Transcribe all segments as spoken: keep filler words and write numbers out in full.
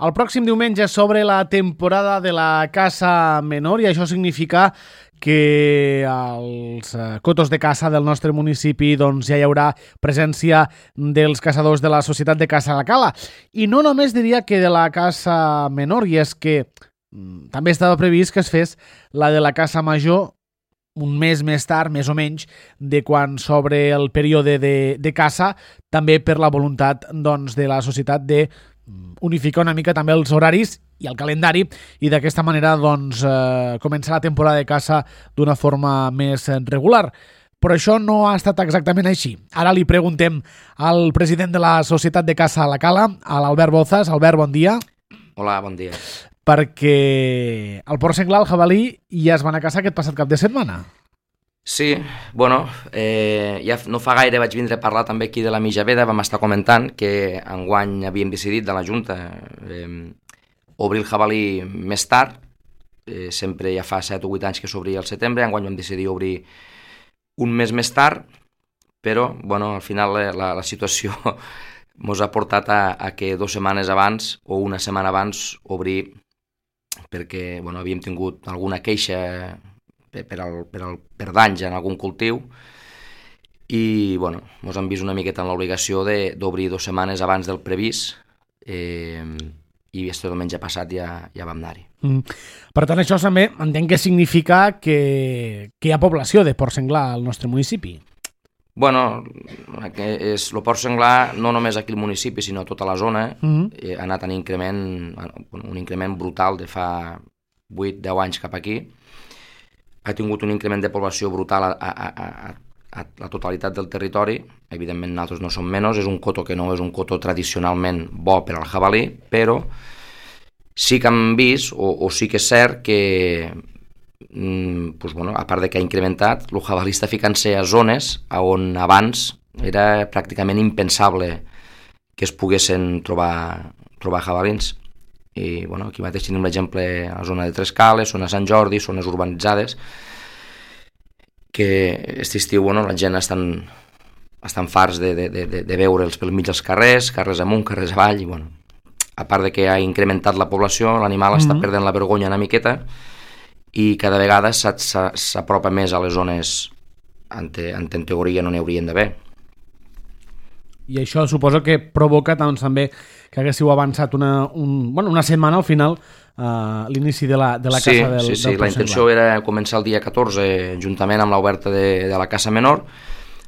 El pròxim diumenge s'obre la temporada de la caça menor i això significa que als cotos de caça del nostre municipi doncs, ja hi haurà presència dels caçadors de la Societat de Caça La Cala. I no només diria que de la caça menor, i és que mm, també estava previst que es fes la de la caça major un mes més tard, més o menys, de quan s'obre el període de, de caça, també per la voluntat doncs, de la societat de unificar una mica també els horaris i el calendari i d'aquesta manera doncs, eh, començar la temporada de caça d'una forma més regular. Però això no ha estat exactament així. Ara li preguntem al president de la Societat de Caça La Cala, a l'Albert Bozas. Albert, bon dia. Hola, bon dia. Perquè el porc senglar, el jabalí, ja es van a caçar aquest passat cap de setmana. Sí, bueno, eh, ja no fa gaire vaig vindre a parlar també aquí de la Mijaveda, vam estar comentant que enguany havíem decidit de la Junta eh, obrir el jabalí més tard, eh, sempre ja fa set o vuit anys que s'obria al setembre, enguany vam decidir obrir un mes més tard, però bueno, al final la, la situació ens ha portat a, a que dues setmanes abans o una setmana abans obrir, perquè bueno, havíem tingut alguna queixa per, per, al, per, al, per danys en algun cultiu i bueno, ens hem vist una miqueta en l'obligació d'obrir dues setmanes abans del previst eh, i aquest diumenge passat ja, ja vam anar-hi. Mm. Per tant, això també entenc que significa que, que hi ha població de porc senglar al nostre municipi. Bueno, és, el porc senglar no només aquí al municipi sinó a tota la zona mm-hmm. eh, ha anat en increment, un increment brutal de fa vuit deu anys cap aquí. Ha tingut un increment de població brutal a, a, a, a la totalitat del territori. Evidentment nosaltres no som menys, és un coto que no és un coto tradicionalment bo per al jabalí, però sí que hem vist, o, o sí que és cert que mm, pues bueno, a part de que ha incrementat, el jabalí està ficant-se a zones on abans era pràcticament impensable que es poguessin trobar, trobar jabalins. I bueno, aquí mateix tenim l'exemple a la zona de Tres Cales, zona Sant Jordi, zones urbanitzades, que aquest estiu bueno, la gent estan, estan farts de, de, de, de veure'ls pel mig dels carrers, carrers amunt, carrers avall, i bueno, a part de que ha incrementat la població, l'animal mm-hmm. està perdent la vergonya una miqueta i cada vegada s'apropa més a les zones en, te, en teoria no n'hi haurien d'haver. I això suposo que provoca doncs, també que haguéssiu avançat una, un, bueno, una setmana al final uh, l'inici de la, de la sí, caça del, sí, sí. del La intenció era començar el dia catorze juntament amb l'oberta de, de la caça menor,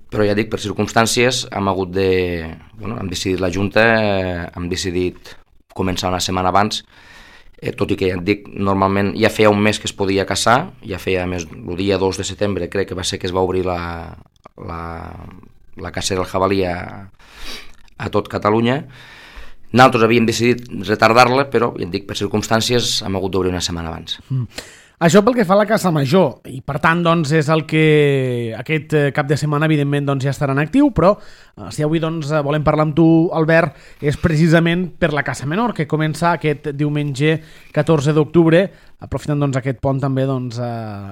però ja dic, per circumstàncies hem hagut de... Bueno, hem decidit la Junta, eh, hem decidit començar una setmana abans, eh, tot i que ja et dic, normalment ja feia un mes que es podia caçar, ja feia més, el dia dos de setembre crec que va ser que es va obrir la, la, la caça del jabalí a, a tot Catalunya. Nosaltres havíem decidit retardar-la, però, ja et dic, per circumstàncies hem hagut d'obrir una setmana abans. Mm. Això pel que fa a la caça major, i per tant doncs, és el que aquest cap de setmana evidentment doncs, ja estarà en actiu, però si avui doncs, volem parlar amb tu, Albert, és precisament per la caça menor, que comença aquest diumenge catorze d'octubre, aprofitant doncs, aquest pont també doncs,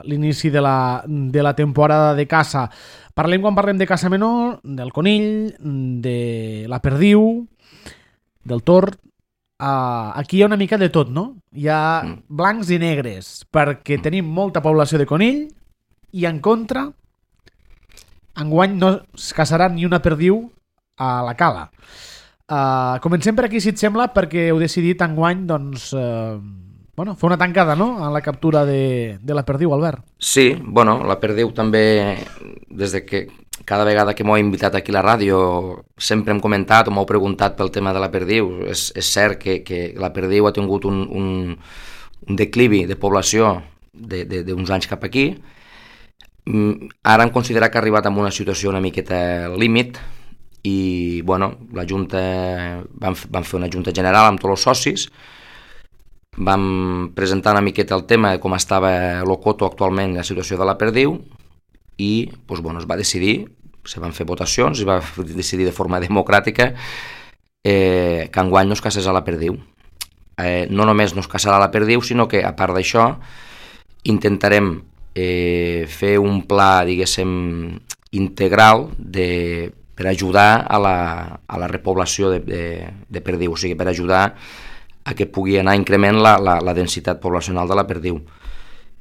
l'inici de, la, de la temporada de caça. Parlem, quan parlem de caça menor, del conill, de la perdiu, del tord. Uh, aquí hi ha una mica de tot, no? Hi ha mm. blancs i negres, perquè mm. tenim molta població de conill i en contra enguany no es caçarà ni una perdiu a la Cala. Uh, comencem per aquí, si et sembla, perquè heu decidit enguany doncs, uh, bueno, fer una tancada, no?, a la captura de, de la perdiu, Albert. Sí, bueno, la perdiu també, des de que cada vegada que m'ho he invitat aquí a la ràdio sempre hem comentat o m'heu preguntat pel tema de la perdiu. És, és cert que, que la perdiu ha tingut un, un, un declivi de població d'uns anys cap aquí. Ara hem considerat que ha arribat en una situació una miqueta límit i bueno, la Junta vam, vam fer una Junta General amb tots els socis, vam presentar una miqueta el tema de com estava l'Ocoto actualment, la situació de la perdiu, i doncs, bueno, es va decidir, se van fer votacions, es va decidir de forma democràtica eh, que enguany no es caçés a la perdiu. Eh, no només no es caçarà a la perdiu, sinó que a part d'això intentarem eh, fer un pla, diguéssim, integral de, per ajudar a la, a la repoblació de, de, de perdiu, o sigui, per ajudar a que pugui anar increment la, la, la densitat poblacional de la perdiu.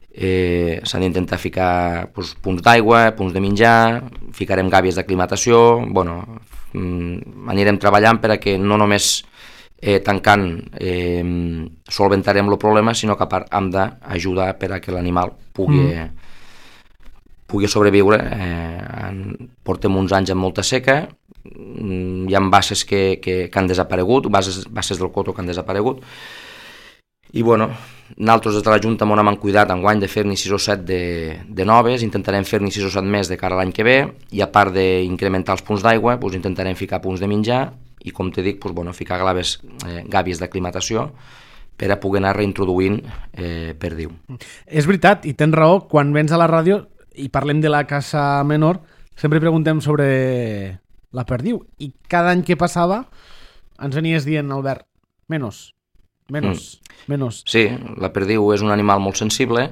Eh, s'han d'intentar ficar doncs, punts d'aigua, punts de menjar, ficarem gàbies d'aclimatació, bueno, mm, anirem treballant per a que no només eh, tancant eh, solventarem el problema, sinó que a part hem d'ajudar per a que l'animal pugui, mm. pugui sobreviure. Eh, en, portem uns anys amb molta seca, hi ha basses que, que, que han desaparegut, bases, basses del coto que han desaparegut, i bueno, nosaltres des de la Junta m'on hem cuidat enguany de fer-ne sis o set de, de noves, intentarem fer-ne sis o set més de cara a l'any que ve, i a part d'incrementar els punts d'aigua, doncs intentarem ficar punts de menjar, i com te dic, doncs, bueno, ficar gaves, eh, gàbies d'aclimatació per a poder anar reintroduint eh, perdiu. És veritat, i tens raó, quan vens a la ràdio i parlem de la caça menor, sempre preguntem sobre la perdiu, i cada any que passava ens venies dient, Albert, menos, menos, mm. menos. Sí, la perdiu és un animal molt sensible,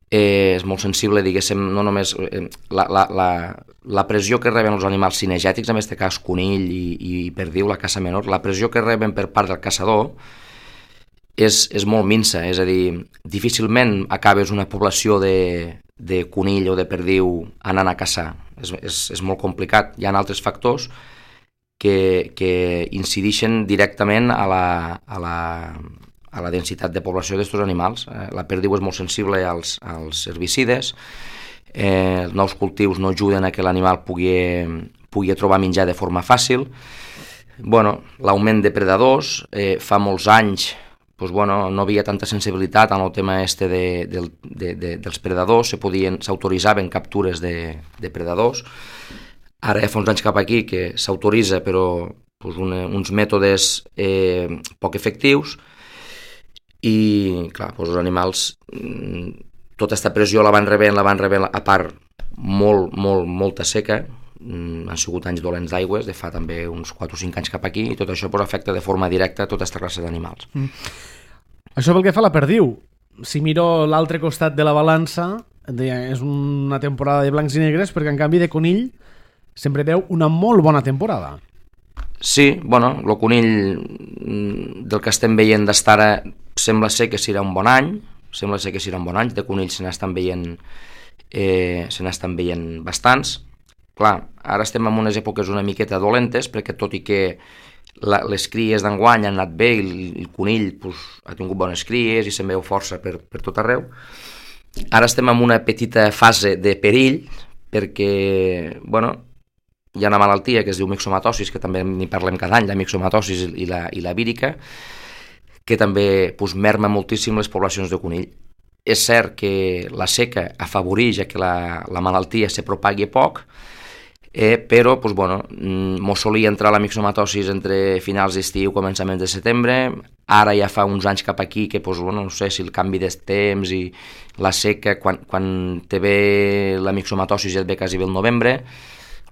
eh, és molt sensible, diguéssim, no només eh, la, la, la, la pressió que reben els animals cinegètics, en aquest cas conill i, i perdiu, la caça menor, la pressió que reben per part del caçador és, és molt minsa, és a dir, difícilment acabes una població de, de conill o de perdiu anant a caçar. És, és, és molt complicat. Hi ha altres factors que, que incideixen directament a la, a la, a la densitat de població d'aquests animals. Eh, la perdiu és molt sensible als, als herbicides, eh, els nous cultius no ajuden a que l'animal pugui, pugui trobar menjar de forma fàcil. Bueno, l'augment de predadors, eh, fa molts anys pues bueno, no havia tanta sensibilitat en el tema este de, de, de, de, dels predadors, se podien, s'autoritzaven captures de, de predadors. Ara ja fa uns anys cap aquí que s'autoritza, però pues, una, uns mètodes eh, poc efectius, i clar, pues, els animals, tota aquesta pressió la van rebent, la van rebent, a part molt, molt, molta seca, han sigut anys dolents d'aigües, de fa també uns quatre o cinc anys cap aquí, i tot això pues, afecta de forma directa a tota aquesta classe d'animals. Mm. Això pel que fa a la perdiu. Si miro l'altre costat de la balança, és una temporada de blancs i negres, perquè en canvi de conill sempre veu una molt bona temporada. Sí, bueno, el conill del que estem veient d'estar ara sembla ser que serà un bon any, sembla ser que serà un bon any, de conill se n'estan veient, eh, se n'estan veient bastants. Clar, ara estem en unes èpoques una miqueta dolentes, perquè tot i que la, les cries d'enguany han anat bé, i el, el conill pues, ha tingut bones cries i se'n veu força per, per tot arreu, ara estem en una petita fase de perill, perquè, bueno, hi ha una malaltia que es diu mixomatosis, que també n'hi parlem cada any, la mixomatosis i la, i la vírica, que també pues, merma moltíssim les poblacions de conill. És cert que la seca afavoreix que la, la malaltia se propagui poc, Eh, però pues, bueno, mos solia entrar la mixomatosis entre finals d'estiu i començaments de setembre. Ara ja fa uns anys cap aquí que pues, bueno, no sé si el canvi de temps i la seca, quan, quan te ve la mixomatosis ja et ve quasi bé el novembre,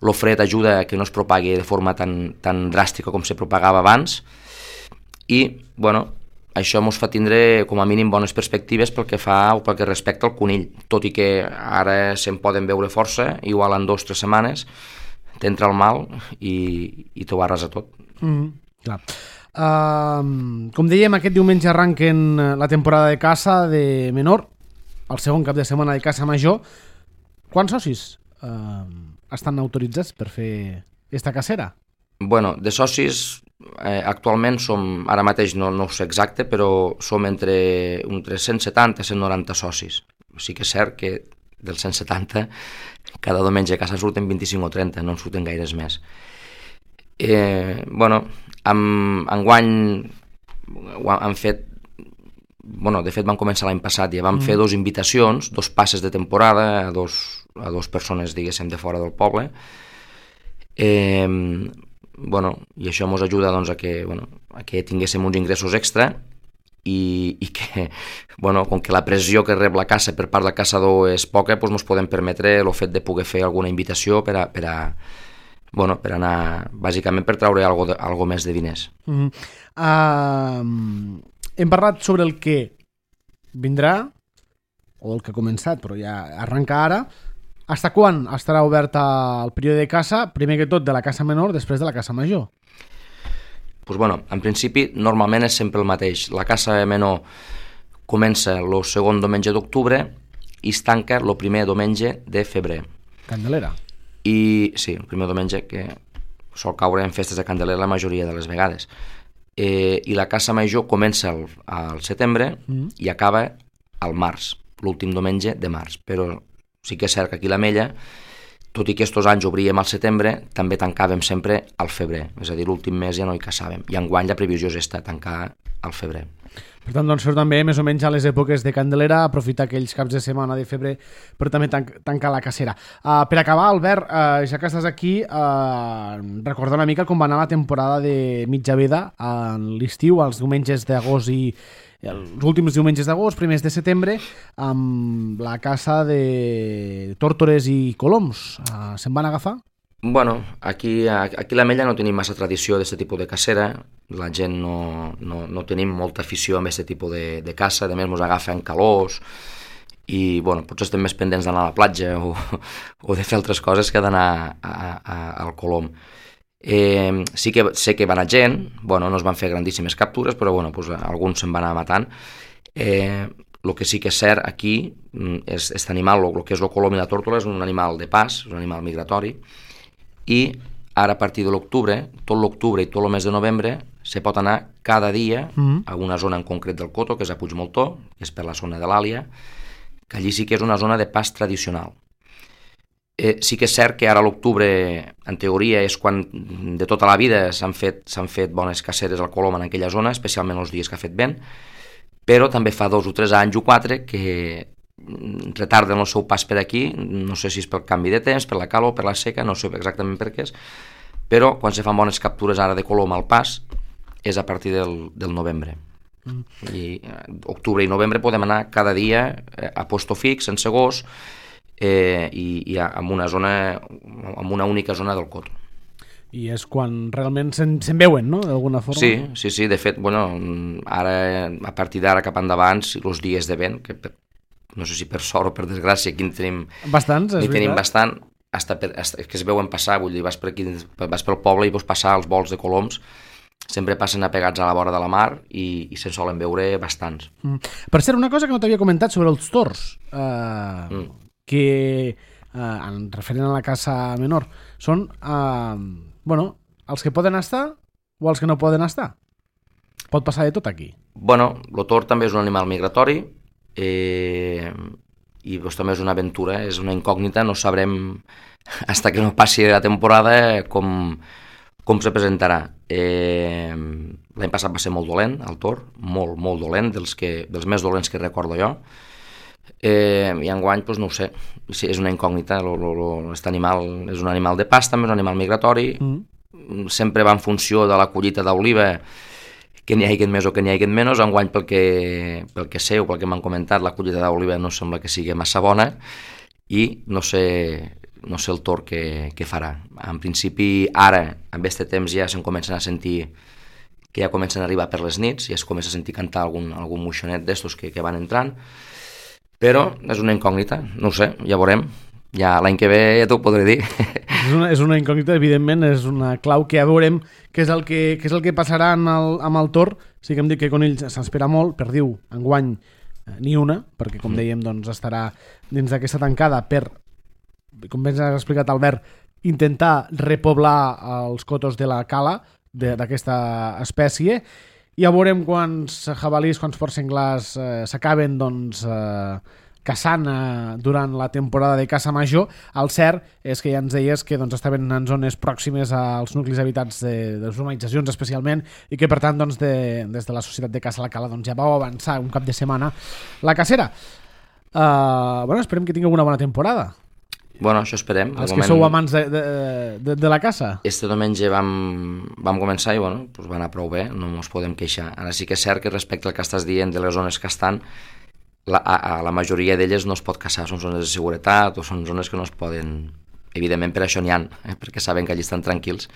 el fred ajuda a que no es propagui de forma tan, tan dràstica com se propagava abans, i bueno, això ens fa tindre com a mínim bones perspectives pel que fa o pel que respecta al conill, tot i que ara se'n poden veure força, igual en dues o tres setmanes t'entra el mal i, i t'ho arrasa tot. Mm, clar. Uh, com dèiem, aquest diumenge arranquen la temporada de caça de menor, el segon cap de setmana de caça major. Quants socis uh, estan autoritzats per fer esta cacera? Bueno, de socis eh, actualment som, ara mateix no, no ho sé exacte, però som entre, entre cent setanta i cent noranta socis. Sí que és cert que dels cent setanta cada diumenge a casa surten vint-i-cinc o trenta, no en surten gaires més. Eh, bueno, amb, enguany han fet, bueno, de fet van començar l'any passat, ja vam mm. fer dos invitacions, dos passes de temporada a dos, a dos persones, diguéssim, de fora del poble. Eh, bueno, i això ens ajuda doncs, a, que, bueno, a que tinguéssim uns ingressos extra i, i que, bueno, com que la pressió que rep la caça per part del caçador és poca, doncs ens podem permetre el fet de poder fer alguna invitació per a, per a, bueno, per anar, bàsicament per treure algo, de, algo més de diners. Mm-hmm. Uh, hem parlat sobre el que vindrà, o el que ha començat, però ja arrenca ara. Hasta quan estarà oberta el període de caça, primer que tot de la caça menor, després de la caça major? Pues bueno, en principi, normalment és sempre el mateix. La caça menor comença el segon diumenge d'octubre i es tanca el primer diumenge de febrer. Candelera. I sí, el primer diumenge que sol caure en festes de Candelera la majoria de les vegades. Eh, I la caça major comença al, al setembre mm. i acaba al març, l'últim diumenge de març. Però sí que és cert que aquí l'Ametlla, tot i que estos anys obríem al setembre, també tancàvem sempre al febrer, és a dir, l'últim mes ja no hi caçàvem, i enguany la previsió és esta, tancar al febrer. Per tant, doncs, fer també més o menys a les èpoques de Candelera, aprofitar aquells caps de setmana de febrer per també tan tancar la cacera. Uh, per acabar, Albert, uh, ja que estàs aquí, uh, recorda una mica com va anar la temporada de mitja veda a l'estiu, als diumenges d'agost i els últims diumenges d'agost, primers de setembre, amb la caça de tórtores i coloms. Uh, se'n van agafar? Bueno, aquí, aquí a l'Ametlla no tenim massa tradició d'aquest tipus de cacera, la gent no, no, no tenim molta afició amb aquest tipus de, de caça, a més ens agafen calors i bueno, potser estem més pendents d'anar a la platja o, o de fer altres coses que d'anar a, a, al colom. Eh, sí que sé que va anar gent, bueno, no es van fer grandíssimes captures, però bueno, pues, alguns se'n van anar matant. Eh, el que sí que és cert aquí és aquest animal, el que és el colom i la tórtola, és un animal de pas, és un animal migratori, i ara a partir de l'octubre, tot l'octubre i tot el mes de novembre, se pot anar cada dia mm. a una zona en concret del Coto, que és a Puigmoltó, que és per la zona de l'Àlia, que allí sí que és una zona de pas tradicional. Eh, sí que és cert que ara a l'octubre, en teoria, és quan de tota la vida s'han fet, s'han fet bones caceres al colom en aquella zona, especialment els dies que ha fet vent, però també fa dos o tres anys o quatre que retarden el seu pas per aquí, no sé si és pel canvi de temps, per la calor, per la seca, no sé exactament per què és, però quan se fan bones captures ara de colom al pas és a partir del, del novembre. Mm. I eh, octubre i novembre podem anar cada dia eh, a posto fix, sense gos, Eh, i, i en una zona, en una única zona del Coto. I és quan realment se'n se veuen, no?, d'alguna forma? Sí, sí, sí, de fet, bueno, ara, a partir d'ara cap endavant, els dies de vent, que per, no sé si per sort o per desgràcia, aquí en tenim... Bastants, és veritat. Tenim bastant, hasta per, hasta, que es veuen passar, vull dir, vas, per aquí, vas pel poble i veus passar els vols de coloms, sempre passen apegats a la vora de la mar i, i se'n solen veure bastants. Mm. Per cert, una cosa que no t'havia comentat sobre els tors, eh... Mm. que, eh, en referent a la caça menor, són eh, bueno, els que poden estar o els que no poden estar. Pot passar de tot aquí. Bueno, el tord també és un animal migratori eh, i doncs, també és una aventura, és una incògnita, no sabrem fins que no passi la temporada com, com se presentarà. Eh, l'any passat va ser molt dolent, el tord, molt, molt dolent, dels, que, dels més dolents que recordo jo. Eh, i enguany, doncs no ho sé, sí, és una incògnita. Aquest animal és un animal de pas, també és un animal migratori, mm. sempre va en funció de la collita d'oliva, que n'hi hagi més o que n'hi hagi menys. Enguany, pel que, pel que sé o pel que m'han comentat, la collita d'oliva no sembla que sigui massa bona i no sé, no sé el tord que, que farà. En principi, ara, amb aquest temps ja se'n comencen a sentir que ja comencen a arribar per les nits, ja es comença a sentir cantar algun, algun moixonet d'estos que, que van entrant, però és una incògnita, no ho sé, ja veurem. Ja l'any que ve ja t'ho podré dir. És una, és una incògnita, evidentment, és una clau que ja veurem què és el que, què és el que passarà en el, amb el tord. Sí que hem dit que Conill s'espera molt, perdiu enguany eh, ni una, perquè com dèiem doncs, estarà dins d'aquesta tancada per, com ben has explicat Albert, intentar repoblar els cotos de la cala d'aquesta espècie. Ja veurem quants jabalís, quants porcs senglars eh, s'acaben doncs, eh, caçant eh, durant la temporada de caça major. El cert és que ja ens deies que doncs, estaven en zones pròximes als nuclis habitats de, de les urbanitzacions especialment i que per tant doncs, de, des de la Societat de Caça a la Cala doncs, ja vau avançar un cap de setmana la cacera. Uh, bueno, esperem que tingueu una bona temporada. Bueno, això esperem. Els que moment... sou amants de, de, de, de la caça. Este diumenge vam, vam començar i bueno, pues va anar prou bé, no ens podem queixar. Ara sí que és cert que respecte al que estàs dient de les zones que estan, la, a, a la majoria d'elles no es pot caçar, són zones de seguretat o són zones que no es poden... Evidentment per això n'hi ha, eh, perquè saben que allí estan tranquils.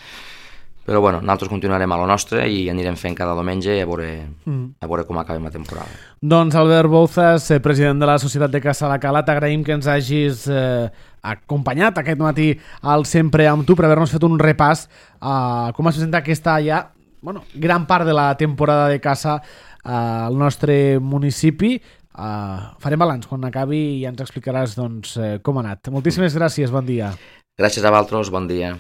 Però bueno, nosaltres continuarem a lo nostre i anirem fent cada diumenge a veure, mm. a veure com acabem la temporada. Doncs Albert Bouzas, president de la Societat de Caça a la Cala, t'agraïm que ens hagis eh, acompanyat aquest matí al Sempre amb tu per haver-nos fet un repàs a com es presenta aquesta ja bueno, gran part de la temporada de caça al nostre municipi. Uh, farem balanç quan acabi i ja ens explicaràs doncs, com ha anat. Moltíssimes gràcies, bon dia. Gràcies a vosaltres, bon dia.